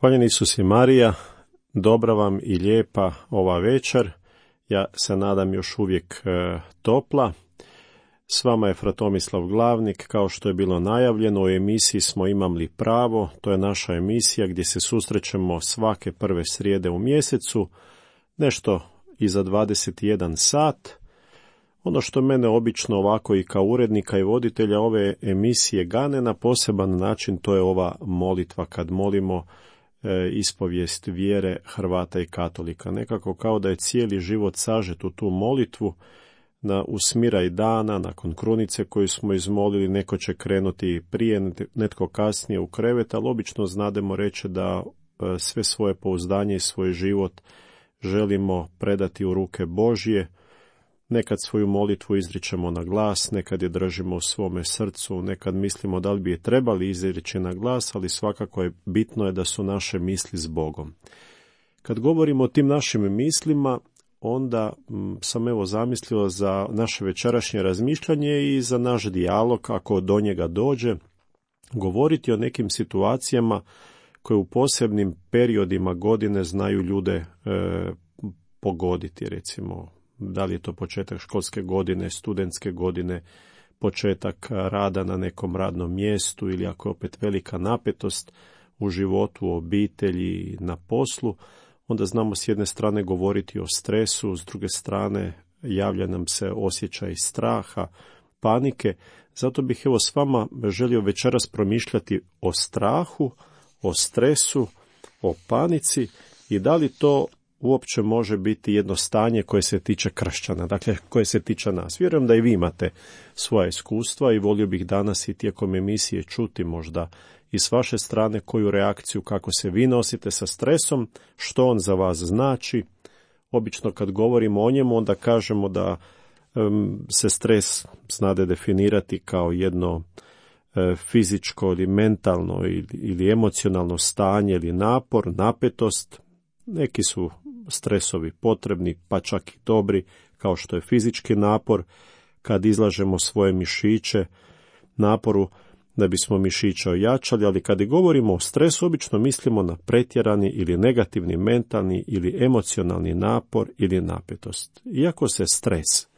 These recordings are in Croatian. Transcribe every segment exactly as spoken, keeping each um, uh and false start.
Hvaljeni Isus i Marija, dobra vam i lijepa ova večer, ja se nadam još uvijek e, topla. S vama je fra Tomislav Glavnik, kao što je bilo najavljeno, u emisiji smo Imam li pravo, to je naša emisija gdje se susrećemo svake prve srijede u mjesecu, nešto iza dvadeset jedan sat. Ono što mene obično ovako i kao urednika i voditelja ove emisije gane na poseban način, to je ova molitva kad molimo e, ispovijest vjere Hrvata i Katolika. Nekako kao da je cijeli život sažet u tu molitvu, na usmiraj dana, nakon krunice koju smo izmolili, neko će krenuti prije, netko kasnije u krevet, ali obično znademo reći da e, sve svoje pouzdanje i svoj život želimo predati u ruke Božje. Nekad svoju molitvu izričemo na glas, nekad je držimo u svome srcu, nekad mislimo da li bi je trebali izreći na glas, ali svakako je bitno je da su naše misli s Bogom. Kad govorimo o tim našim mislima, onda m, sam evo zamislio za naše večerašnje razmišljanje i za naš dijalog, ako do njega dođe, govoriti o nekim situacijama koje u posebnim periodima godine znaju ljude e, pogoditi, recimo da li je to početak školske godine, studentske godine, početak rada na nekom radnom mjestu ili ako je opet velika napetost u životu, u obitelji, na poslu, onda znamo s jedne strane govoriti o stresu, s druge strane javlja nam se osjećaj straha, panike. Zato bih evo s vama želio večeras promišljati o strahu, o stresu, o panici i da li to uopće može biti jedno stanje koje se tiče kršćana, dakle koje se tiče nas. Vjerujem da i vi imate svoja iskustva i volio bih danas i tijekom emisije čuti možda i s vaše strane koju reakciju, kako se vi nosite sa stresom, što on za vas znači. Obično kad govorimo o njemu, onda kažemo da um, se stres znade definirati kao jedno e, fizičko ili mentalno ili, ili emocionalno stanje ili napor, napetost. Neki su stresovi potrebni, pa čak i dobri, kao što je fizički napor, kad izlažemo svoje mišiće naporu da bismo mišiće ojačali, ali kad govorimo o stresu, obično mislimo na pretjerani ili negativni mentalni ili emocionalni napor ili napetost. Iako se stres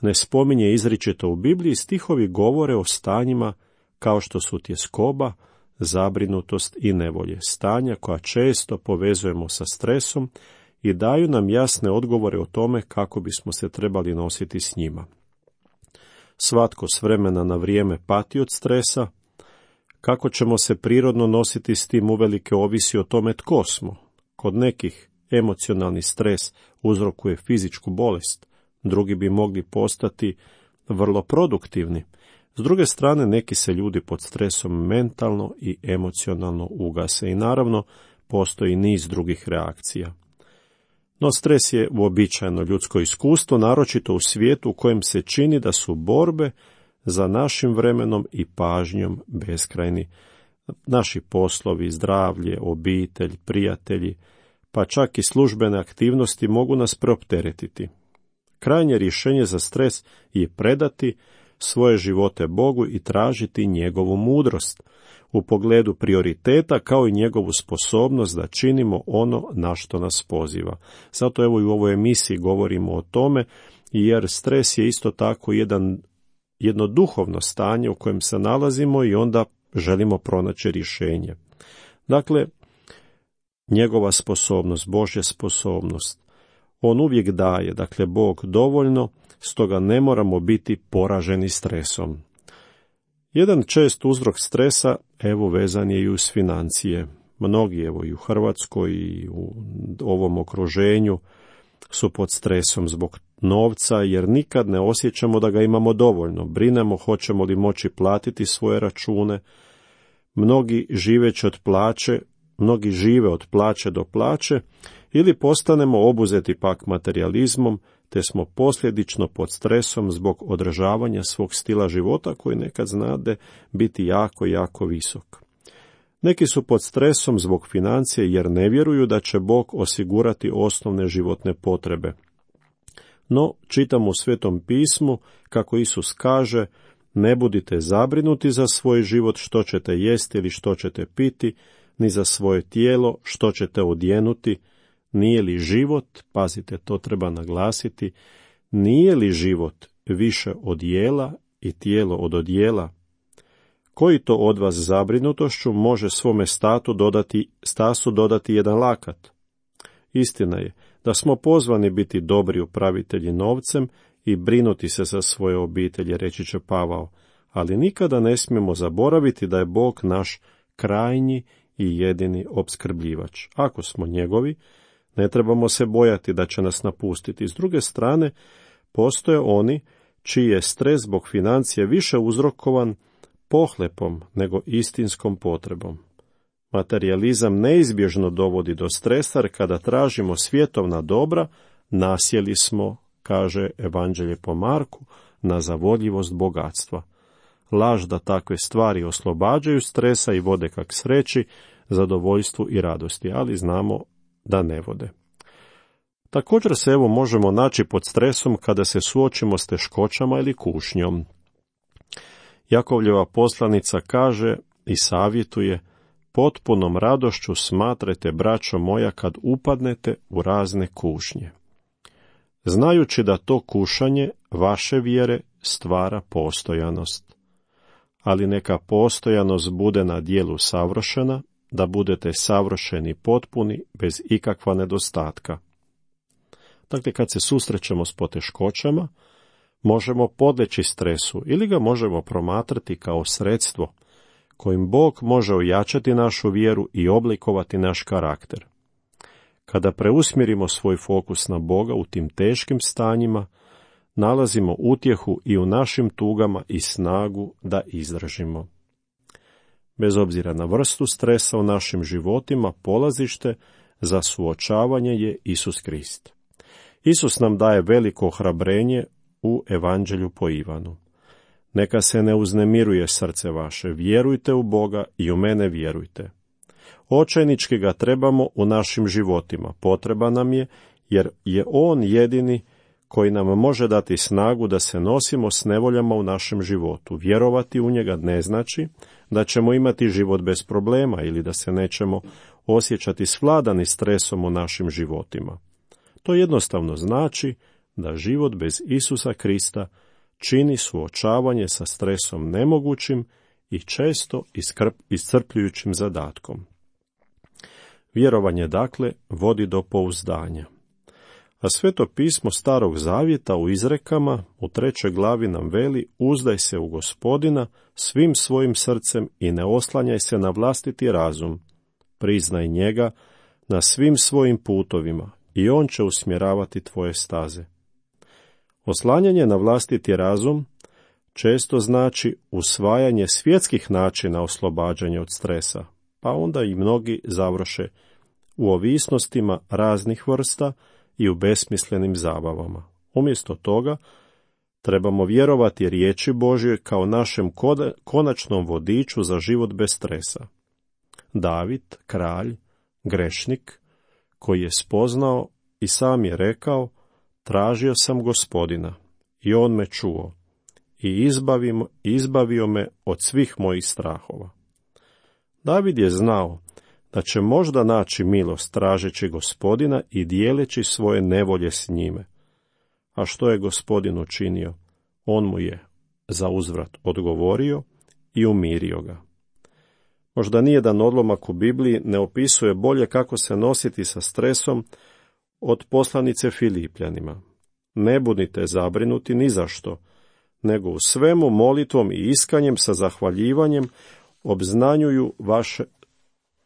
ne spominje izričito u Bibliji, stihovi govore o stanjima kao što su tjeskoba, zabrinutost i nevolje, stanja koja često povezujemo sa stresom i daju nam jasne odgovore o tome kako bismo se trebali nositi s njima. Svatko s vremena na vrijeme pati od stresa. Kako ćemo se prirodno nositi s tim uvelike ovisi o tome tko smo. Kod nekih emocionalni stres uzrokuje fizičku bolest, drugi bi mogli postati vrlo produktivni. S druge strane, neki se ljudi pod stresom mentalno i emocionalno ugase i naravno postoji niz drugih reakcija. No stres je uobičajeno ljudsko iskustvo, naročito u svijetu u kojem se čini da su borbe za našim vremenom i pažnjom beskrajni. Naši poslovi, zdravlje, obitelj, prijatelji, pa čak i službene aktivnosti mogu nas preopteretiti. Krajnje rješenje za stres je predati svoje živote Bogu i tražiti njegovu mudrost u pogledu prioriteta kao i njegovu sposobnost da činimo ono na što nas poziva. Zato evo i u ovoj emisiji govorimo o tome, jer stres je isto tako jedan, jedno duhovno stanje u kojem se nalazimo i onda želimo pronaći rješenje. Dakle, njegova sposobnost, Božja sposobnost, on uvijek daje, dakle Bog dovoljno, stoga ne moramo biti poraženi stresom. Jedan čest uzrok stresa, evo, vezan je i uz financije. Mnogi, evo, i u Hrvatskoj i u ovom okruženju su pod stresom zbog novca, jer nikad ne osjećamo da ga imamo dovoljno. Brinemo hoćemo li moći platiti svoje račune. Mnogi živeći od plaće, mnogi žive od plaće do plaće, ili postanemo obuzeti pak materijalizmom, te smo posljedično pod stresom zbog održavanja svog stila života koji nekad znade biti jako, jako visok. Neki su pod stresom zbog financije jer ne vjeruju da će Bog osigurati osnovne životne potrebe. No, čitamo u Svetom pismu kako Isus kaže: ne budite zabrinuti za svoj život što ćete jesti ili što ćete piti, ni za svoje tijelo što ćete odjenuti. Nije li život, pazite, to treba naglasiti, nije li život više od jela i tijelo od odjela? Koji to od vas zabrinutošću može svome statu dodati, stasu dodati jedan lakat? Istina je da smo pozvani biti dobri upravitelji novcem i brinuti se za svoje obitelji, reći će Pavao, ali nikada ne smijemo zaboraviti da je Bog naš krajnji i jedini opskrbljivač. Ako smo njegovi, ne trebamo se bojati da će nas napustiti. S druge strane, postoje oni čiji je stres zbog financije više uzrokovan pohlepom nego istinskom potrebom. Materijalizam neizbježno dovodi do stresa, jer kada tražimo svjetovna dobra, nasjeli smo, kaže Evanđelje po Marku, na zavodljivost bogatstva. Laž da takve stvari oslobađaju stresa i vode kak sreći, zadovoljstvu i radosti, ali znamo da ne vode. Također se evo možemo naći pod stresom kada se suočimo s teškoćama ili kušnjom. Jakovljeva poslanica kaže i savjetuje: potpunom radošću smatrajte, braćo moja, kad upadnete u razne kušnje, znajući da to kušanje vaše vjere stvara postojanost. Ali neka postojanost bude na djelu savršena, da budete savršeni potpuni, bez ikakva nedostatka. Dakle, kad se susrećemo s poteškoćama, možemo podleći stresu ili ga možemo promatrati kao sredstvo kojim Bog može ojačati našu vjeru i oblikovati naš karakter. Kada preusmjerimo svoj fokus na Boga u tim teškim stanjima, nalazimo utjehu i u našim tugama i snagu da izdržimo. Bez obzira na vrstu stresa u našim životima, polazište za suočavanje je Isus Krist. Isus nam daje veliko ohrabrenje u Evanđelju po Ivanu. Neka se ne uznemiruje srce vaše, vjerujte u Boga i u mene vjerujte. Očajnički ga trebamo u našim životima, potreba nam je, jer je On jedini koji nam može dati snagu da se nosimo s nevoljama u našem životu. Vjerovati u njega ne znači da ćemo imati život bez problema ili da se nećemo osjećati svladani stresom u našim životima. To jednostavno znači da život bez Isusa Krista čini suočavanje sa stresom nemogućim i često iscrpljujućim zadatkom. Vjerovanje, dakle, vodi do pouzdanja. A Sveto pismo Starog Zavjeta u izrekama u trećoj glavi nam veli: uzdaj se u Gospodina svim svojim srcem i ne oslanjaj se na vlastiti razum. Priznaj njega na svim svojim putovima i on će usmjeravati tvoje staze. Oslanjanje na vlastiti razum često znači usvajanje svjetskih načina oslobađanja od stresa, pa onda i mnogi završe u ovisnostima raznih vrsta i u besmislenim zabavama. Umjesto toga, trebamo vjerovati riječi Božjoj kao našem konačnom vodiču za život bez stresa. David, kralj, grešnik, koji je spoznao i sam je rekao: tražio sam Gospodina i on me čuo i izbavio, izbavio me od svih mojih strahova. David je znao da će možda naći milost tražeći Gospodina i dijeleći svoje nevolje s njime. A što je Gospodin učinio? On mu je za uzvrat odgovorio i umirio ga. Možda nijedan odlomak u Bibliji ne opisuje bolje kako se nositi sa stresom od poslanice Filipljanima. Ne budite zabrinuti ni za što, nego u svemu molitvom i iskanjem sa zahvaljivanjem obznanjuju vaše,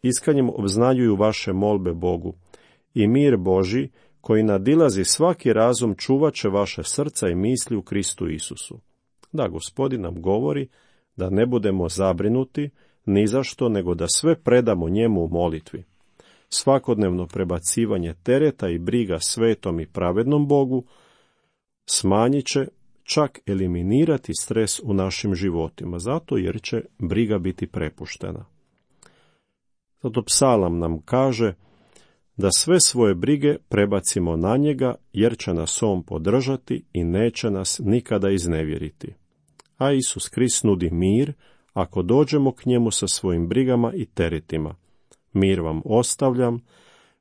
iskanjem obznanjuju vaše molbe Bogu. I mir Božji, koji nadilazi svaki razum, čuvat će vaše srca i misli u Kristu Isusu. Da, Gospodin nam govori da ne budemo zabrinuti ni za što, nego da sve predamo njemu u molitvi. Svakodnevno prebacivanje tereta i briga svetom i pravednom Bogu smanjit će, čak eliminirati stres u našim životima, zato jer će briga biti prepuštena. Zato psalam nam kaže da sve svoje brige prebacimo na njega, jer će nas on podržati i neće nas nikada iznevjeriti. A Isus Krist nudi mir ako dođemo k njemu sa svojim brigama i teretima. Mir vam ostavljam,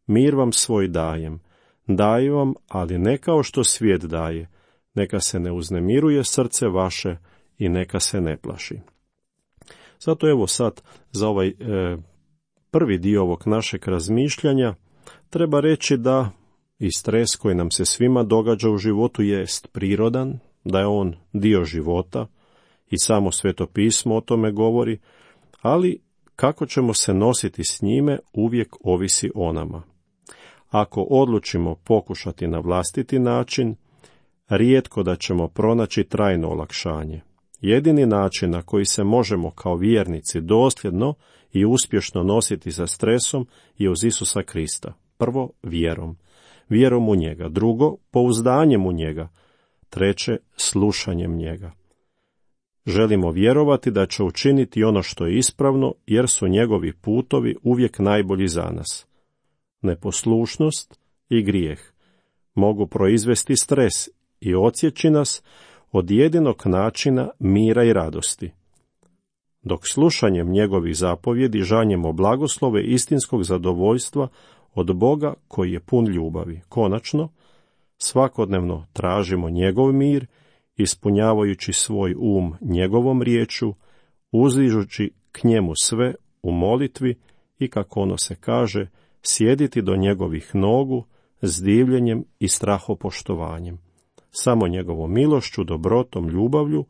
mir vam svoj dajem. Dajem vam, ali ne kao što svijet daje. Neka se ne uznemiruje srce vaše i neka se ne plaši. Zato evo sad za ovaj e, prvi dio ovog našeg razmišljanja treba reći da i stres koji nam se svima događa u životu jest prirodan, da je on dio života i samo Sveto pismo o tome govori, ali kako ćemo se nositi s njime uvijek ovisi o nama. Ako odlučimo pokušati na vlastiti način, rijetko da ćemo pronaći trajno olakšanje. Jedini način na koji se možemo kao vjernici dosljedno i uspješno nositi sa stresom je uz Isusa Krista. Prvo, vjerom. Vjerom u njega. Drugo, pouzdanjem u njega. Treće, slušanjem njega. Želimo vjerovati da će učiniti ono što je ispravno, jer su njegovi putovi uvijek najbolji za nas. Neposlušnost i grijeh mogu proizvesti stres i odsjeći nas od jedinog načina mira i radosti. Dok slušanjem njegovih zapovjedi žanjemo blagoslove istinskog zadovoljstva od Boga koji je pun ljubavi. Konačno, svakodnevno tražimo njegov mir, ispunjavajući svoj um njegovom riječu, uzdižući k njemu sve u molitvi i, kako ono se kaže, sjediti do njegovih nogu s divljenjem i strahopoštovanjem. Samo njegovom milošću, dobrotom, ljubavlju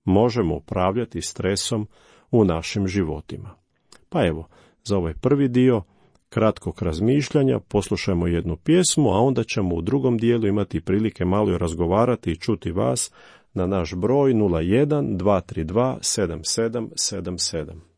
možemo upravljati stresom u našim životima. Pa evo, za ovaj prvi dio kratkog razmišljanja poslušajmo jednu pjesmu, a onda ćemo u drugom dijelu imati prilike malo razgovarati i čuti vas na naš broj nula jedan dva tri dva sedam sedam sedam sedam.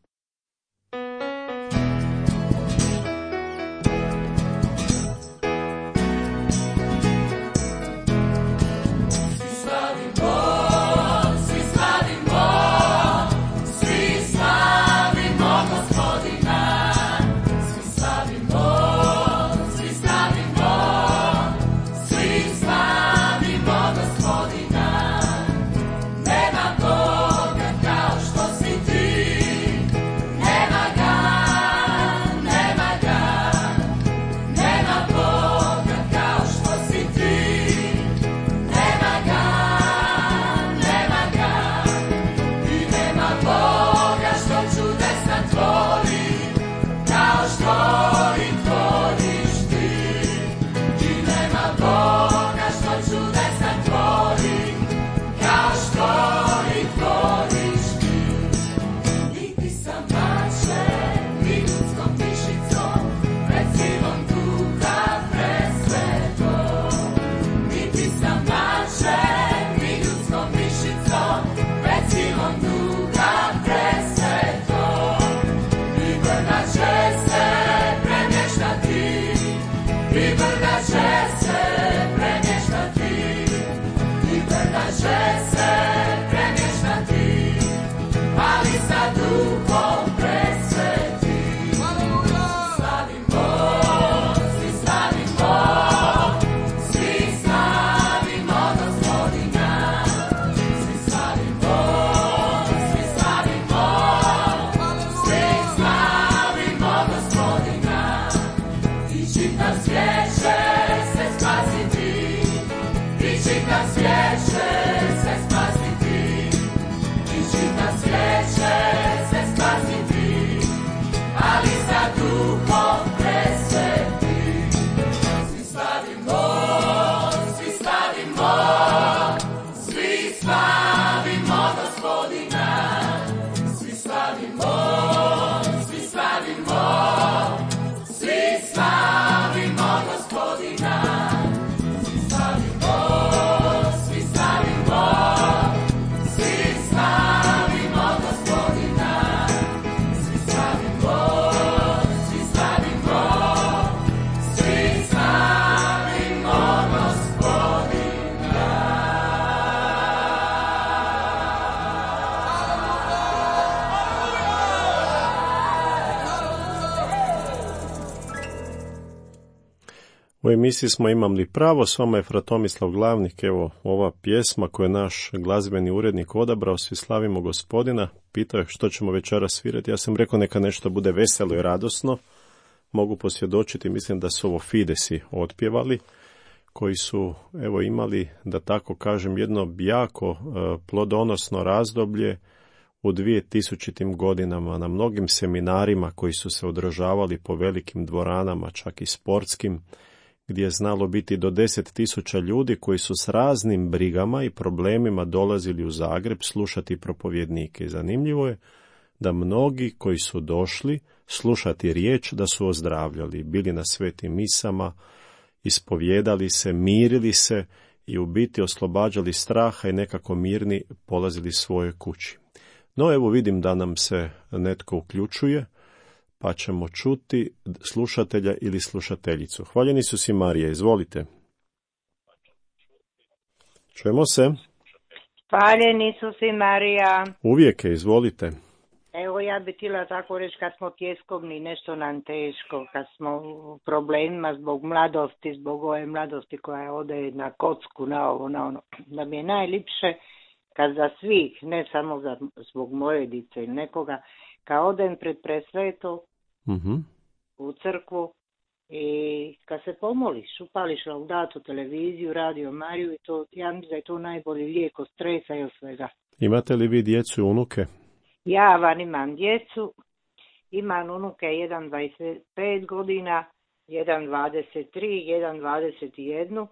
U emisiji smo Imam li pravo, s vama je fra Tomislav Glavnik. Evo, ova pjesma koju je naš glazbeni urednik odabrao, Svi slavimo Gospodina, pitao je što ćemo večeras svirati. Ja sam rekao neka nešto bude veselo i radosno, mogu posvjedočiti, mislim da su ovo Fidesi otpjevali, koji su evo imali, da tako kažem, jedno jako uh, plodonosno razdoblje u dvije tisućitim godinama na mnogim seminarima koji su se održavali po velikim dvoranama, čak i sportskim, gdje je znalo biti do deset tisuća ljudi koji su s raznim brigama i problemima dolazili u Zagreb slušati propovjednike. I zanimljivo je da mnogi koji su došli slušati riječ da su ozdravljali, bili na svetim misama, ispovjedali se, mirili se i u biti oslobađali straha i nekako mirni polazili svoje kući. No evo vidim da nam se netko uključuje, pa ćemo čuti slušatelja ili slušateljicu. Hvaljeni su si Marija, izvolite. Čujemo se? Hvaljeni su si Marija. Uvijek je, izvolite. Evo ja bi htjela tako reći, kad smo tjeskovni, nešto nam teško, kad smo u problemima zbog mladosti, zbog ove mladosti koja ode na kocku, na ovo, na ono, da mi je najlipše kad za svih, ne samo za, zbog moje dice ili nekoga, kad odem pred presveto uh-huh. u crkvu i kad se pomoliš, upališ laudatu, televiziju, radio Mariju i to, ja mislim da je to najbolji lijek od stresa i od svega. Imate li vi djecu i unuke? Ja van imam djecu, imam unuke, jedan dvadeset pet godina, jedan dvadeset tri, jedan dvadeset jedan,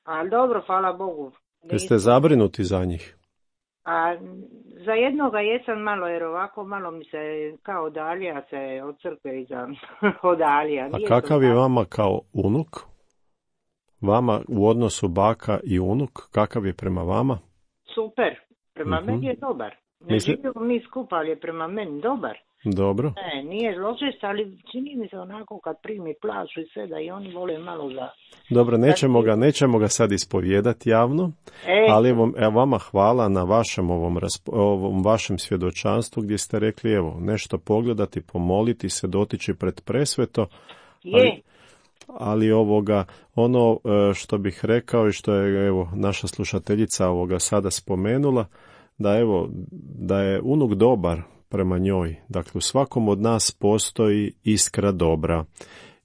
ali dobro, hvala Bogu. Jeste zabrinuti za njih? A za jednoga jesam malo, jer ovako malo mi se kao odalija se od crkve iza odalija. A kakav je vama kao unuk? Vama u odnosu baka i unuk, kakav je prema vama? Super, prema uh-huh. meni je dobar. Ne Misli... živimo mi skupa, ali je prema meni dobar. Dobro. Ne, nije zločest, ali čini mi se onako kad primi plaću i sve da i oni vole malo za... Dobro, nećemo ga, nećemo ga sad ispovijedati javno, e, ali evo, evo vama hvala na vašem ovom, raspo, ovom vašem svjedočanstvu gdje ste rekli, evo, nešto pogledati, pomoliti se, dotići pred presveto, ali, je. ali ovoga, ono što bih rekao i što je evo naša slušateljica ovoga sada spomenula, da evo, da je unuk dobar prema njoj. Dakle, u svakom od nas postoji iskra dobra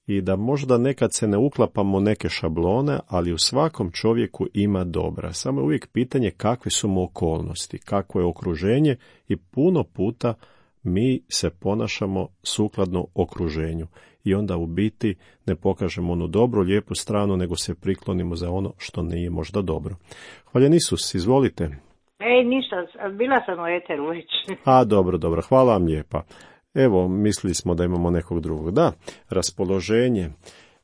i da možda nekad se ne uklapamo neke šablone, ali u svakom čovjeku ima dobra. Samo je uvijek pitanje kakve su mu okolnosti, kakvo je okruženje i puno puta mi se ponašamo sukladno okruženju i onda u biti ne pokažemo onu dobru, lijepu stranu, nego se priklonimo za ono što nije možda dobro. Hvaljen Isus, izvolite. Ej, ništa, bila sam u eteru već. A, dobro, dobro, hvala vam lijepa. Evo, mislili smo da imamo nekog drugog. Da, raspoloženje.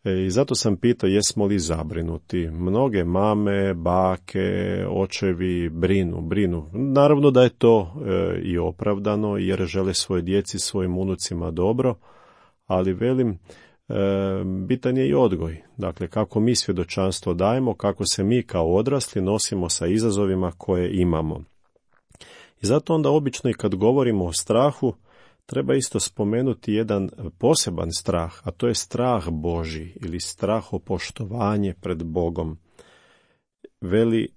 E, I zato sam pitao jesmo li zabrinuti. Mnoge mame, bake, očevi brinu, brinu. Naravno da je to e, i opravdano jer žele svoje djeci, svojim unucima dobro, ali velim, e, bitan je i odgoj. Dakle, kako mi svjedočanstvo dajemo, kako se mi kao odrasli nosimo sa izazovima koje imamo. I zato onda obično i kad govorimo o strahu, treba isto spomenuti jedan poseban strah, a to je strah Božji ili strahopoštovanje pred Bogom. Veli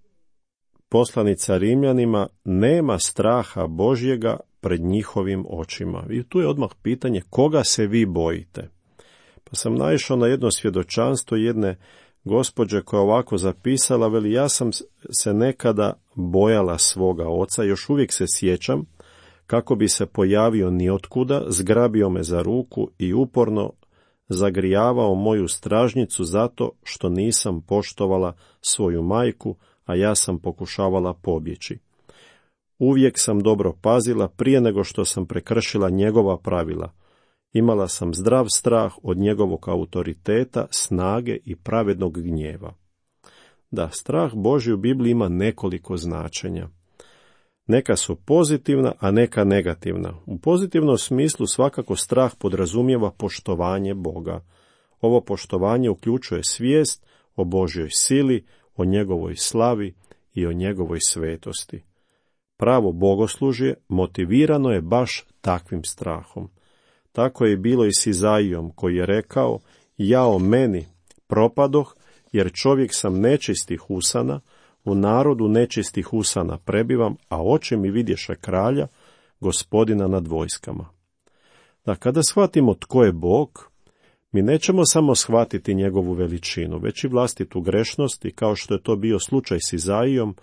poslanica Rimljanima, nema straha Božjega pred njihovim očima. I tu je odmah pitanje koga se vi bojite. Pa sam naišao na jedno svjedočanstvo jedne gospođe koja ovako zapisala, veli ja sam se nekada bojala svoga oca, još uvijek se sjećam kako bi se pojavio niotkuda, zgrabio me za ruku i uporno zagrijavao moju stražnjicu zato što nisam poštovala svoju majku, a ja sam pokušavala pobjeći. Uvijek sam dobro pazila prije nego što sam prekršila njegova pravila. Imala sam zdrav strah od njegovog autoriteta, snage i pravednog gnjeva. Da, strah Božji u Bibliji ima nekoliko značenja. Neka su pozitivna, a neka negativna. U pozitivnom smislu svakako strah podrazumijeva poštovanje Boga. Ovo poštovanje uključuje svijest o Božjoj sili, o njegovoj slavi i o njegovoj svetosti. Pravo bogoslužje motivirano je baš takvim strahom. Tako je bilo i s Izaijom koji je rekao, jao meni propadoh, jer čovjek sam nečistih usana, u narodu nečistih usana prebivam, a oči mi vidješe kralja, gospodina nad vojskama. Da kada shvatimo tko je Bog, Mi nećemo samo shvatiti njegovu veličinu, već i vlastitu grešnost i kao što je to bio slučaj s Izaijom,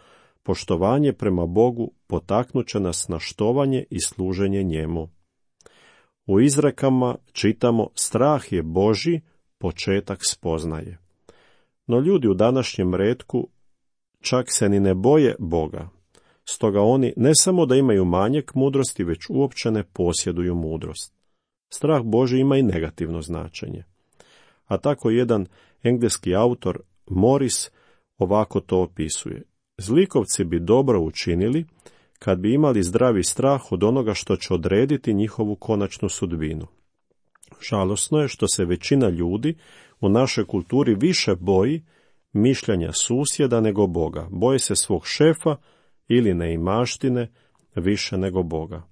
poštovanje prema Bogu potaknuće nas na štovanje i služenje njemu. U izrekama čitamo strah je Božji, početak spoznaje. No ljudi u današnjem retku čak se ni ne boje Boga. Stoga oni ne samo da imaju manjak mudrosti, već uopće ne posjeduju mudrost. Strah Božji ima i negativno značenje. A tako jedan engleski autor Morris ovako to opisuje. Zlikovci bi dobro učinili kad bi imali zdravi strah od onoga što će odrediti njihovu konačnu sudbinu. Žalosno je što se većina ljudi u našoj kulturi više boji mišljenja susjeda nego Boga. Boje se svog šefa ili neimaštine više nego Boga.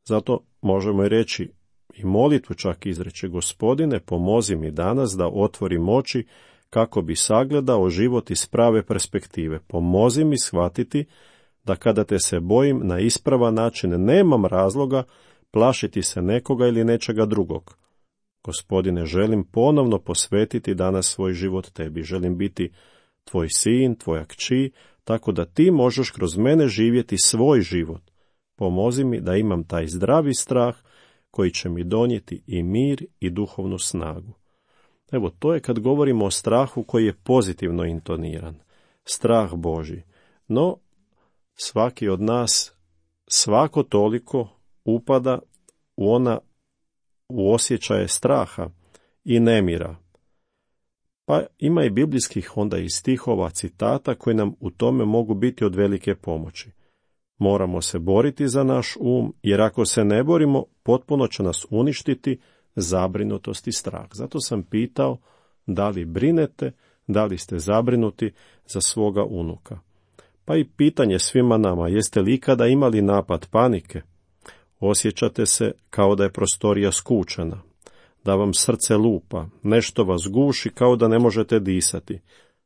Zato možemo i reći i molitvu čak izreći: Gospodine, pomozi mi danas da otvorim oči kako bi sagledao život iz prave perspektive. Pomozi mi shvatiti da kada te se bojim na ispravan način nemam razloga plašiti se nekoga ili nečega drugog. Gospodine, želim ponovno posvetiti danas svoj život tebi. Želim biti tvoj sin, tvoja kći, tako da ti možeš kroz mene živjeti svoj život. Pomozi mi da imam taj zdravi strah koji će mi donijeti i mir i duhovnu snagu. Evo, to je kad govorimo o strahu koji je pozitivno intoniran. Strah Božji. No, svaki od nas svako toliko upada u ona u osjećaje straha i nemira. Pa ima i biblijskih onda i stihova, citata koji nam u tome mogu biti od velike pomoći. Moramo se boriti za naš um, jer ako se ne borimo, potpuno će nas uništiti zabrinutost i strah. Zato sam pitao da li brinete, da li ste zabrinuti za svoga unuka. Pa i pitanje svima nama, jeste li ikada imali napad panike? Osjećate se kao da je prostorija skučena, da vam srce lupa, nešto vas guši kao da ne možete disati.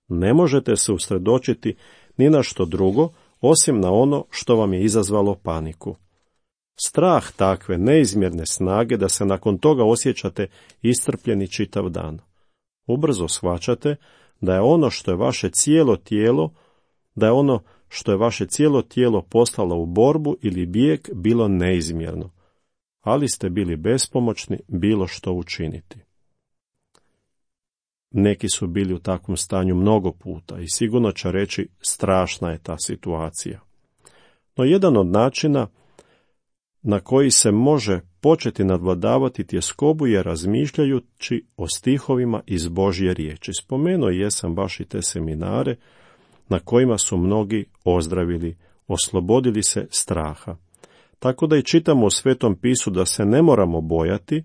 Ne možete se usredočiti ni na što drugo, osim na ono što vam je izazvalo paniku. Strah takve neizmjerne snage da se nakon toga osjećate iscrpljeni čitav dan. Ubrzo shvaćate da je ono što je vaše cijelo tijelo, da je ono što je vaše cijelo tijelo poslalo u borbu ili bijeg bilo neizmjerno, ali ste bili bespomoćni bilo što učiniti. Neki su bili u takvom stanju mnogo puta i sigurno će reći strašna je ta situacija. No jedan od načina na koji se može početi nadvladavati tjeskobu je razmišljajući o stihovima iz Božje riječi. Spomenuo jesam baš i te seminare na kojima su mnogi ozdravili, oslobodili se straha. Tako da i čitamo u Svetom pisu da se ne moramo bojati,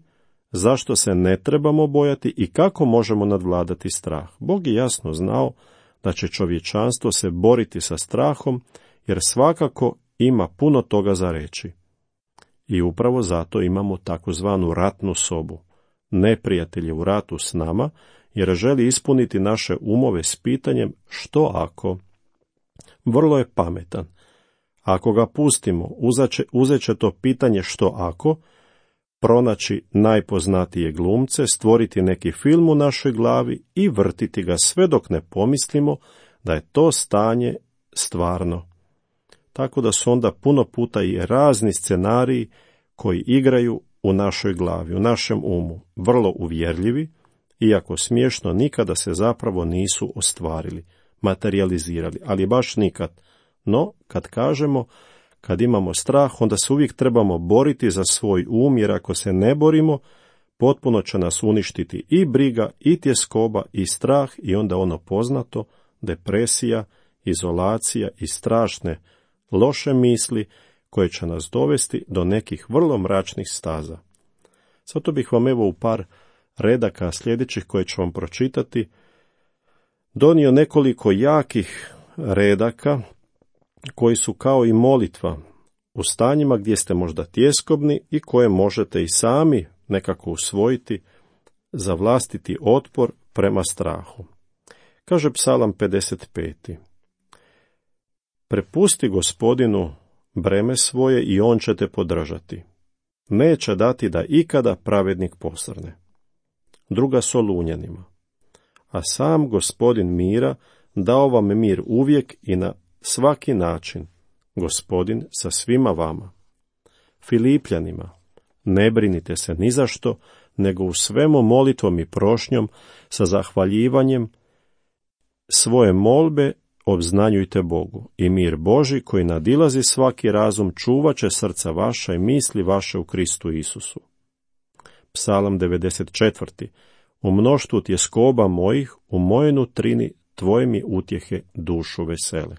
zašto se ne trebamo bojati i kako možemo nadvladati strah. Bog je jasno znao da će čovječanstvo se boriti sa strahom, jer svakako ima puno toga za reći. I upravo zato imamo takozvanu ratnu sobu. Neprijatelj je u ratu s nama, jer želi ispuniti naše umove s pitanjem što ako. Vrlo je pametan. Ako ga pustimo, uzet će to pitanje što ako, pronaći najpoznatije glumce, stvoriti neki film u našoj glavi i vrtiti ga sve dok ne pomislimo da je to stanje stvarno. Tako da su onda puno puta i razni scenariji koji igraju u našoj glavi, u našem umu, vrlo uvjerljivi, iako smiješno nikada se zapravo nisu ostvarili, materializirali, ali baš nikad. No, kad kažemo, kad imamo strah, onda se uvijek trebamo boriti za svoj um, jer ako se ne borimo, potpuno će nas uništiti i briga, i tjeskoba, i strah, i onda ono poznato, depresija, izolacija i strašne, loše misli, koje će nas dovesti do nekih vrlo mračnih staza. Zato bih vam evo u par redaka sljedećih koje ću vam pročitati donio nekoliko jakih redaka koji su kao i molitva u stanjima gdje ste možda tjeskobni i koje možete i sami nekako usvojiti za vlastiti otpor prema strahu. Kaže Psalam pedeset pet. Prepusti Gospodinu breme svoje i on će te podržati. Neće dati da ikada pravednik posrne. druga Solunjanima. A sam Gospodin mira dao vam mir uvijek i na svaki način, Gospodin sa svima vama. Filipljanima, ne brinite se ni za što, nego u svemu molitvom i prošnjom sa zahvaljivanjem svoje molbe obznanjujte Bogu i mir Božji koji nadilazi svaki razum čuvat će srca vaša i misli vaše u Kristu Isusu. Psalam devedeset četiri. U mnoštvu tjeskoba mojih, u mojoj nutrini, tvoje mi utjehe dušu vesele.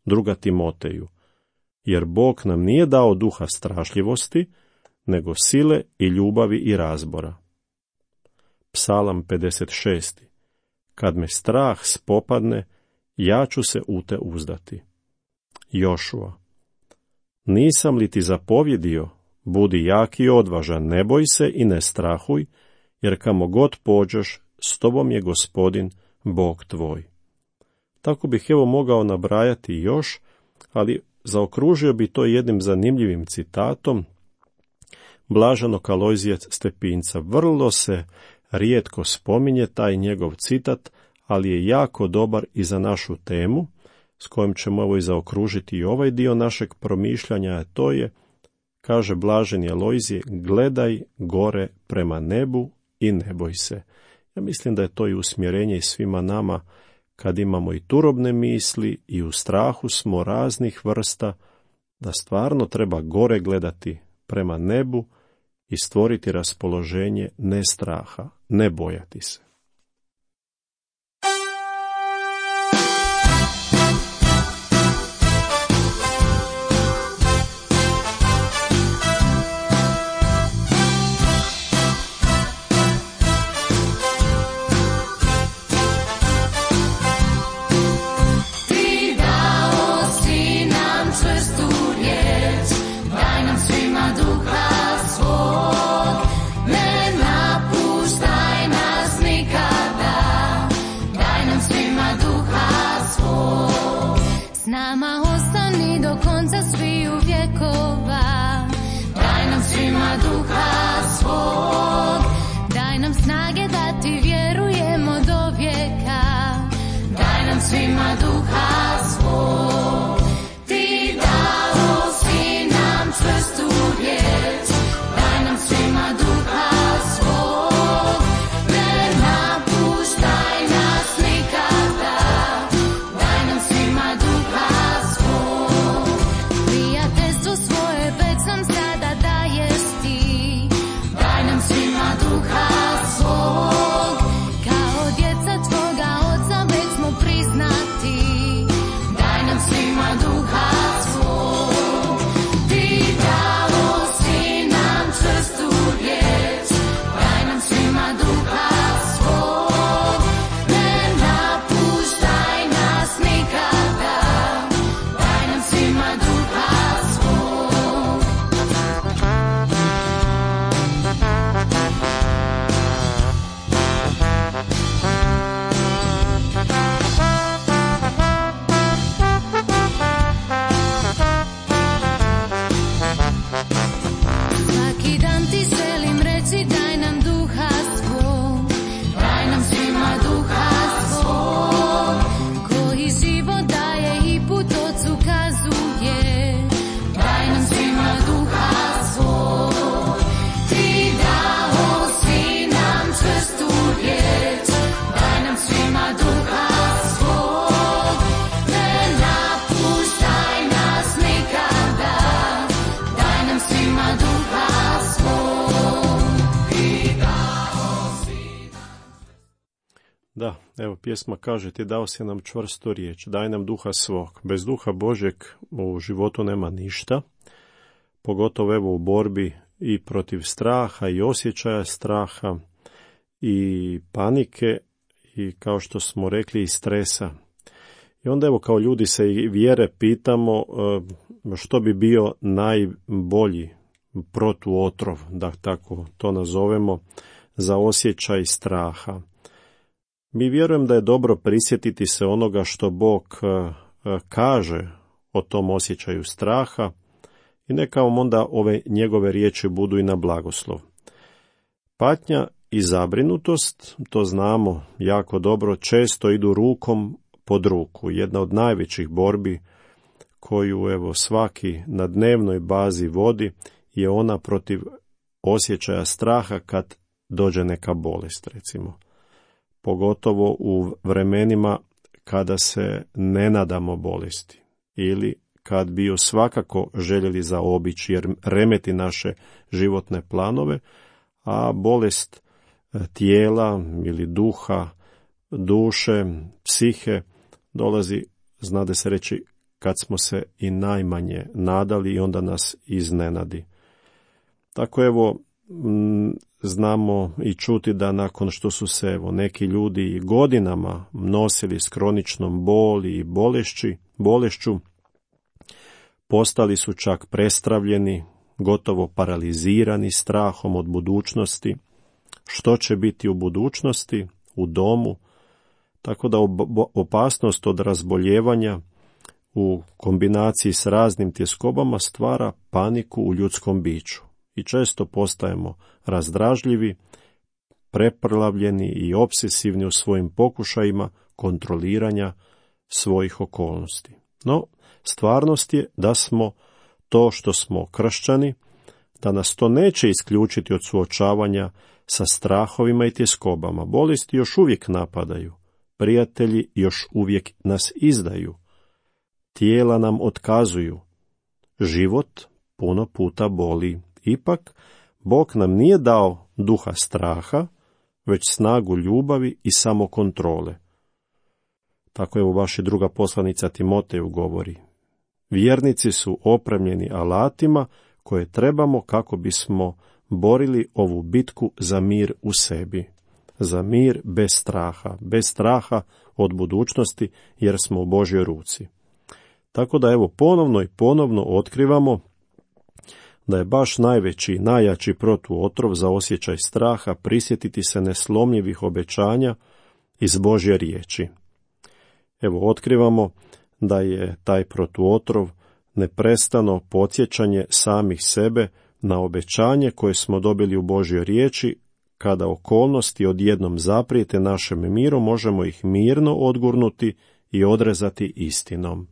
Druga Timoteju. Jer Bog nam nije dao duha strašljivosti, nego sile i ljubavi i razbora. Psalam pedeset šest. Kad me strah spopadne, ja ću se u te uzdati. Jošua. Nisam li ti zapovjedio, budi jak i odvažan, ne boj se i ne strahuj, jer kamo god pođeš, s tobom je Gospodin, Bog tvoj. Tako bih evo mogao nabrajati još, ali zaokružio bi to jednim zanimljivim citatom blaženog Alojzija Stepinca. Vrlo se rijetko spominje taj njegov citat, ali je jako dobar i za našu temu, s kojom ćemo evo i zaokružiti i ovaj dio našeg promišljanja, a to je, kaže blaženi Alojzije, gledaj gore prema nebu i ne boj se. Ja mislim da je to i usmjerenje i svima nama kad imamo i turobne misli i u strahu smo raznih vrsta, da stvarno treba gore gledati prema nebu i stvoriti raspoloženje ne straha, ne bojati se. Da, evo pjesma kaže, ti dao si nam čvrstu riječ, daj nam duha svog. Bez duha Božjeg u životu nema ništa, pogotovo evo u borbi i protiv straha i osjećaja straha i panike i kao što smo rekli i stresa. I onda evo kao ljudi se i vjere pitamo što bi bio najbolji protuotrov, da tako to nazovemo, za osjećaj straha. Mi vjerujem da je dobro prisjetiti se onoga što Bog kaže o tom osjećaju straha i neka vam onda ove njegove riječi budu i na blagoslov. Patnja i zabrinutost, to znamo jako dobro, često idu rukom pod ruku. Jedna od najvećih borbi koju evo svaki na dnevnoj bazi vodi je ona protiv osjećaja straha kad dođe neka bolest, recimo. Pogotovo u vremenima kada se ne nadamo bolesti ili kad bi ju svakako željeli zaobići jer remeti naše životne planove, a bolest tijela ili duha, duše, psihe dolazi, znade se reći, kad smo se i najmanje nadali i onda nas iznenadi. Tako evo, znamo i čuti da nakon što su se evo, neki ljudi godinama nosili s kroničnom boli i bolešći, bolešću, postali su čak prestravljeni, gotovo paralizirani strahom od budućnosti, što će biti u budućnosti, u domu, tako da opasnost od razboljevanja u kombinaciji s raznim tjeskobama stvara paniku u ljudskom biću i često postajemo razdražljivi, preprlavljeni i obsesivni u svojim pokušajima kontroliranja svojih okolnosti. No, stvarnost je da smo to što smo kršćani, da nas to neće isključiti od suočavanja sa strahovima i tjeskobama. Bolesti još uvijek napadaju, prijatelji još uvijek nas izdaju, tijela nam otkazuju, život puno puta boli. Ipak, Bog nam nije dao duha straha, već snagu ljubavi i samokontrole. Tako je u vaša druga poslanica Timoteju govori. Vjernici su opremljeni alatima koje trebamo kako bismo borili ovu bitku za mir u sebi. Za mir bez straha, bez straha od budućnosti jer smo u Božjoj ruci. Tako da evo ponovno i ponovno otkrivamo da je baš najveći, najjači protuotrov za osjećaj straha prisjetiti se neslomljivih obećanja iz Božje riječi. Evo, otkrivamo da je taj protuotrov neprestano podsjećanje samih sebe na obećanje koje smo dobili u Božjoj riječi, kada okolnosti odjednom zaprijete našem miru, možemo ih mirno odgurnuti i odrezati istinom.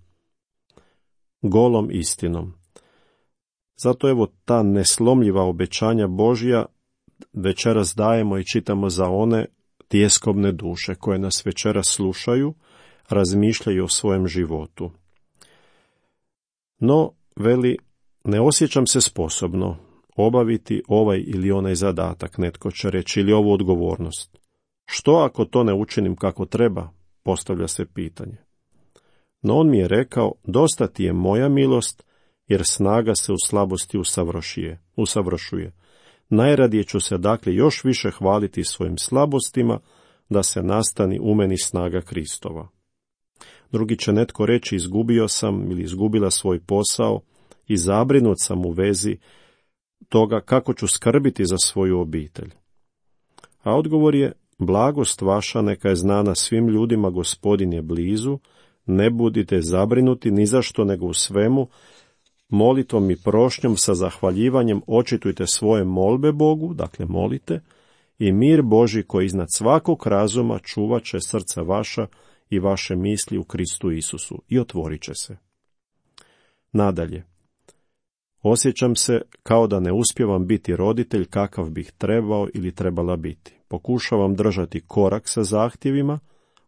Golom istinom. Zato evo ta neslomljiva obećanja Božja večeras dajemo i čitamo za one tjeskobne duše koje nas večeras slušaju, razmišljaju o svojem životu. No, veli, ne osjećam se sposobno obaviti ovaj ili onaj zadatak, netko će reći, ili ovu odgovornost. Što ako to ne učinim kako treba, postavlja se pitanje. No on mi je rekao, dosta ti je moja milost, jer snaga se u slabosti usavršuje. usavršuje. Najradije ću se dakle još više hvaliti svojim slabostima, da se nastani u meni snaga Kristova. Drugi će netko reći, izgubio sam ili izgubila svoj posao i zabrinut sam u vezi toga kako ću skrbiti za svoju obitelj. A odgovor je, blagost vaša neka je znana svim ljudima, Gospodin je blizu, ne budite zabrinuti ni zašto, nego u svemu, molitvom i prošnjom sa zahvaljivanjem očitujte svoje molbe Bogu, dakle molite, i mir Božji koji iznad svakog razuma čuvat će srca vaša i vaše misli u Kristu Isusu i otvorit će se. Nadalje, osjećam se kao da ne uspijevam biti roditelj kakav bih trebao ili trebala biti. Pokušavam držati korak sa zahtjevima,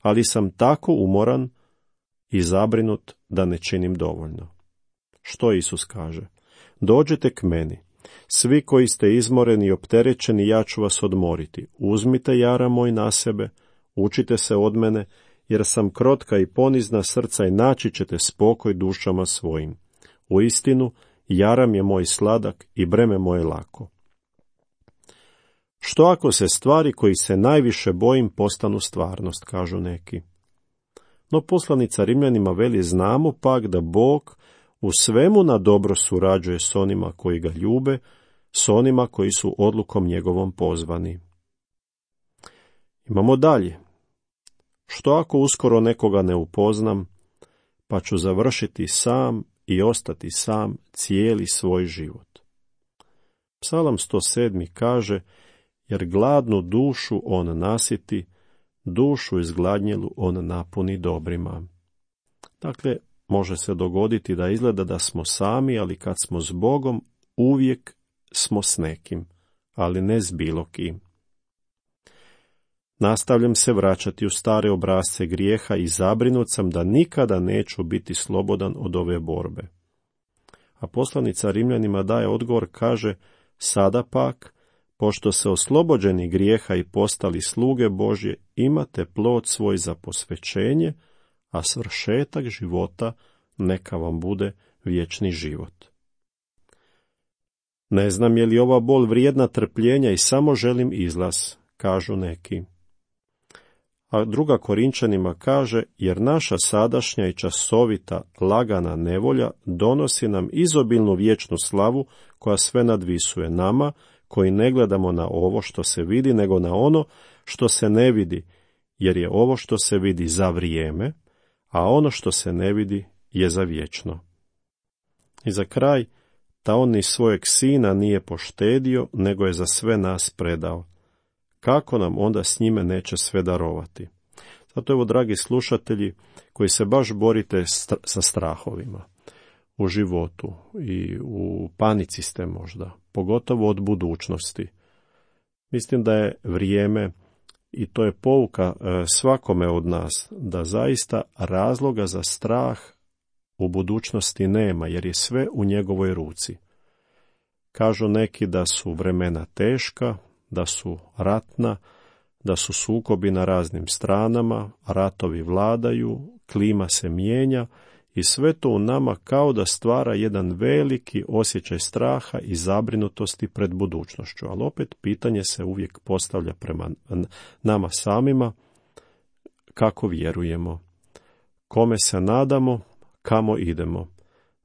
ali sam tako umoran i zabrinut da ne činim dovoljno. Što Isus kaže? Dođite k meni, svi koji ste izmoreni i opterećeni, ja ću vas odmoriti. Uzmite jara moj na sebe, učite se od mene, jer sam krotka i ponizna srca i naći ćete spokoj dušama svojim. Uistinu, jaram je moj sladak i breme moje lako. Što ako se stvari koji se najviše bojim postanu stvarnost, kažu neki. No poslanica Rimljanima veli, znamo pak da Bog u svemu na dobro surađuje s onima koji ga ljube, s onima koji su odlukom njegovom pozvani. Imamo dalje. Što ako uskoro nekoga ne upoznam, pa ću završiti sam i ostati sam cijeli svoj život. Psalam sto sedam kaže, jer gladnu dušu on nasiti, dušu izgladnjelu on napuni dobrima. Dakle, može se dogoditi da izgleda da smo sami, ali kad smo s Bogom, uvijek smo s nekim, ali ne s bilo kim. Nastavljam se vraćati u stare obrasce grijeha i zabrinut sam da nikada neću biti slobodan od ove borbe. A poslanica Rimljanima daje odgovor, kaže, sada pak, pošto se oslobođeni grijeha i postali sluge Božje, imate plod svoj za posvećenje, a svršetak života neka vam bude vječni život. Ne znam je li ova bol vrijedna trpljenja i samo želim izlaz, kažu neki. A druga Korinčanima kaže, jer naša sadašnja i časovita lagana nevolja donosi nam izobilnu vječnu slavu koja sve nadvisuje nama, koji ne gledamo na ovo što se vidi, nego na ono što se ne vidi, jer je ovo što se vidi za vrijeme, a ono što se ne vidi je za vječno. I za kraj, ta on ni svojeg sina nije poštedio, nego je za sve nas predao. Kako nam onda s njime neće sve darovati? Zato evo, dragi slušatelji, koji se baš borite sa strahovima u životu i u panici ste možda, pogotovo od budućnosti. Mislim da je vrijeme, i to je pouka svakome od nas, da zaista razloga za strah u budućnosti nema, jer je sve u njegovoj ruci. Kažu neki da su vremena teška, da su ratna, da su sukobi na raznim stranama, ratovi vladaju, klima se mijenja i sve to u nama kao da stvara jedan veliki osjećaj straha i zabrinutosti pred budućnošću. Ali opet pitanje se uvijek postavlja prema nama samima, kako vjerujemo, kome se nadamo, kamo idemo.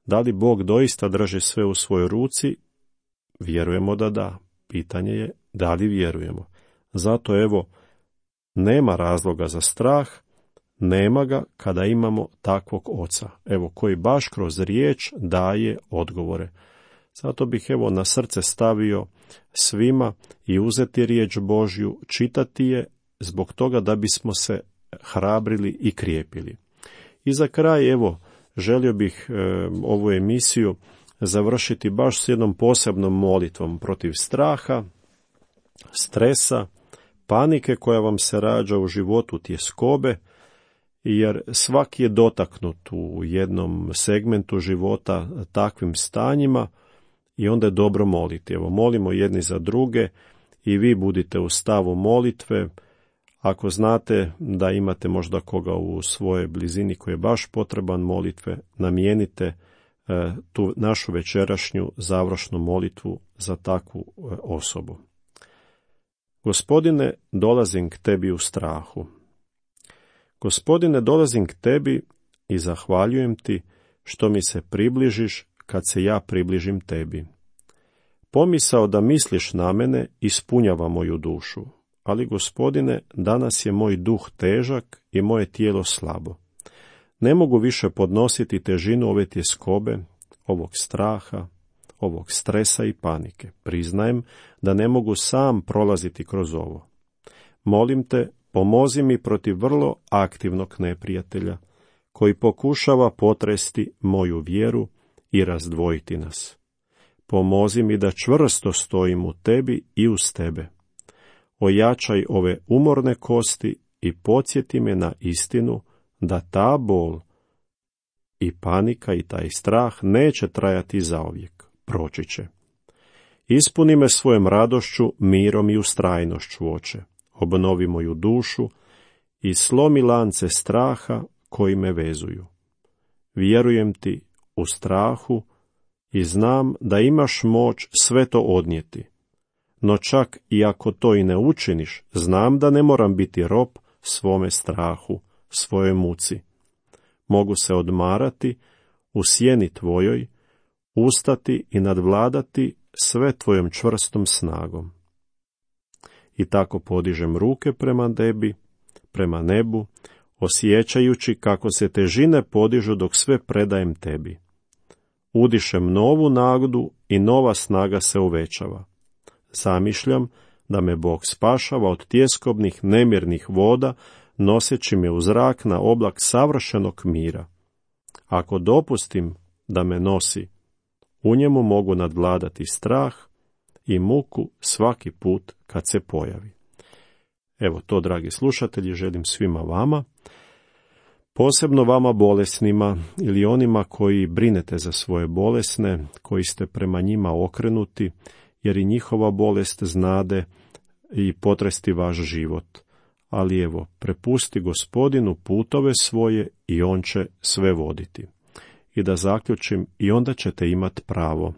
Da li Bog doista drži sve u svojoj ruci? Vjerujemo da da. Pitanje je da li vjerujemo. Zato evo, nema razloga za strah, nema ga kada imamo takvog oca, evo, koji baš kroz riječ daje odgovore. Zato bih evo na srce stavio svima i uzeti riječ Božju, čitati je zbog toga da bismo se hrabrili i krijepili. I za kraj, evo, želio bih e, ovu emisiju završiti baš s jednom posebnom molitvom protiv straha, stresa, panike koja vam se rađa u životu, tjeskobe, jer svaki je dotaknut u jednom segmentu života takvim stanjima i onda je dobro moliti. Evo, molimo jedni za druge i vi budite u stavu molitve. Ako znate da imate možda koga u svojoj blizini koji je baš potreban molitve, namijenite e, tu našu večerašnju završnu molitvu za takvu e, osobu. Gospodine, dolazim k tebi u strahu. Gospodine, dolazim k tebi i zahvaljujem ti što mi se približiš kad se ja približim tebi. Pomisao da misliš na mene ispunjava moju dušu, ali Gospodine, danas je moj duh težak i moje tijelo slabo. Ne mogu više podnositi težinu ove tjeskobe, ovog straha, ovog stresa i panike. Priznajem da ne mogu sam prolaziti kroz ovo. Molim te, pomozi mi protiv vrlo aktivnog neprijatelja, koji pokušava potresti moju vjeru i razdvojiti nas. Pomozi mi da čvrsto stojim u tebi i uz tebe. Ojačaj ove umorne kosti i podsjeti me na istinu da ta bol i panika i taj strah neće trajati zauvijek, proći će. Ispuni me svojom radošću, mirom i ustrajnošću, Oče. Obnovi moju dušu i slomi lance straha koji me vezuju. Vjerujem ti u strahu i znam da imaš moć sve to odnijeti. No čak i ako to i ne učiniš, znam da ne moram biti rob svome strahu, svojoj muci. Mogu se odmarati u sjeni tvojoj, ustati i nadvladati sve tvojom čvrstom snagom. I tako podižem ruke prema tebi, prema nebu, osjećajući kako se težine podižu dok sve predajem tebi. Udišem novu nagdu i nova snaga se uvećava. Zamišljam da me Bog spašava od tjeskobnih nemirnih voda, noseći me u zrak na oblak savršenog mira. Ako dopustim da me nosi, u njemu mogu nadvladati strah i muku svaki put kad se pojavi. Evo to, dragi slušatelji, želim svima vama, posebno vama bolesnima ili onima koji brinete za svoje bolesne, koji ste prema njima okrenuti, jer i njihova bolest znade i potresti vaš život. Ali evo, prepusti Gospodinu putove svoje i on će sve voditi. I da zaključim, i onda ćete imati pravo.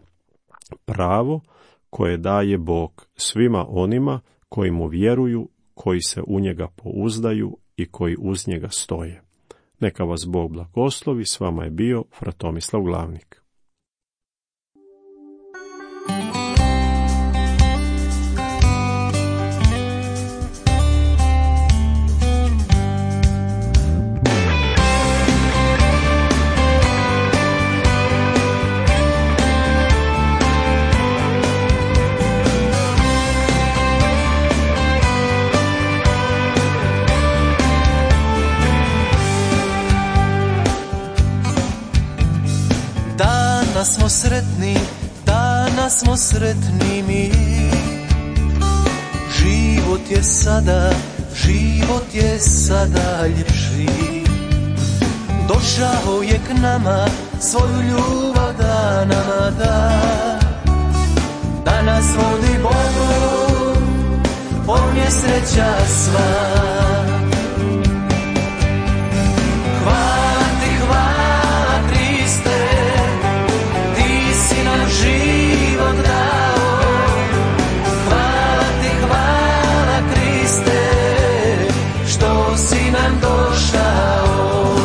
Pravo koje daje Bog svima onima koji mu vjeruju, koji se u njega pouzdaju i koji uz njega stoje. Neka vas Bog blagoslovi, s vama je bio fra Tomislav Glavnik. Danas smo sretni, danas smo sretni mi. Život je sada, život je sada ljepši. Došao je k nama, svoju ljubav da nama da. Da nas vodi Bogu, on je sreća sva. Hvala ti, hvala Kriste, život dao. Hvala ti, hvala Kriste, što si nam došao.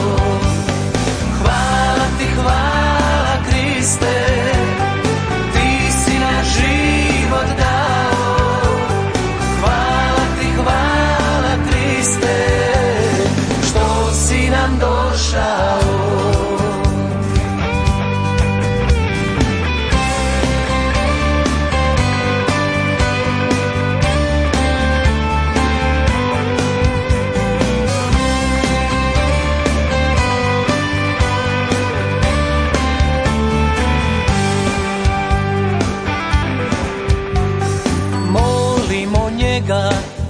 Hvala ti, hvala Kriste, ti si nam život dao. Hvala ti, hvala Kriste, što si nam došao.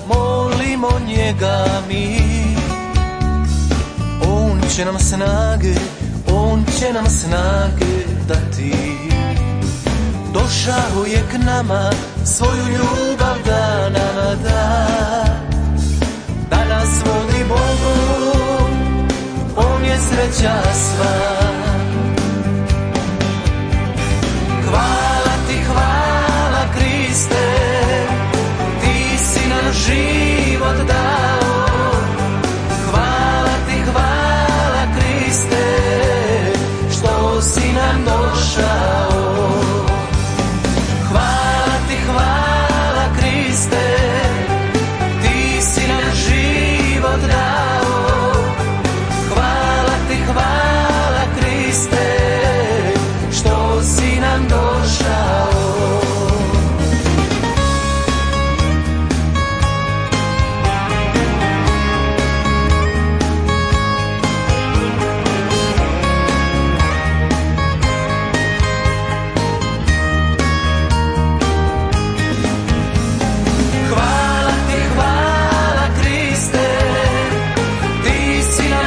Molimo njega mi, on će nam snage, on će nam snage dati. Došao je k nama, svoju ljubav da nama da. Da nas vodi Bogu, on je sreća sva. Hvala ti, hvala Kriste, život dao. Hvala ti, hvala Kriste, što si nam došao. Hvala ti, hvala Kriste, ti si nam život dao. Hvala ti, hvala Kriste, što si nam došao.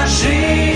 Shine.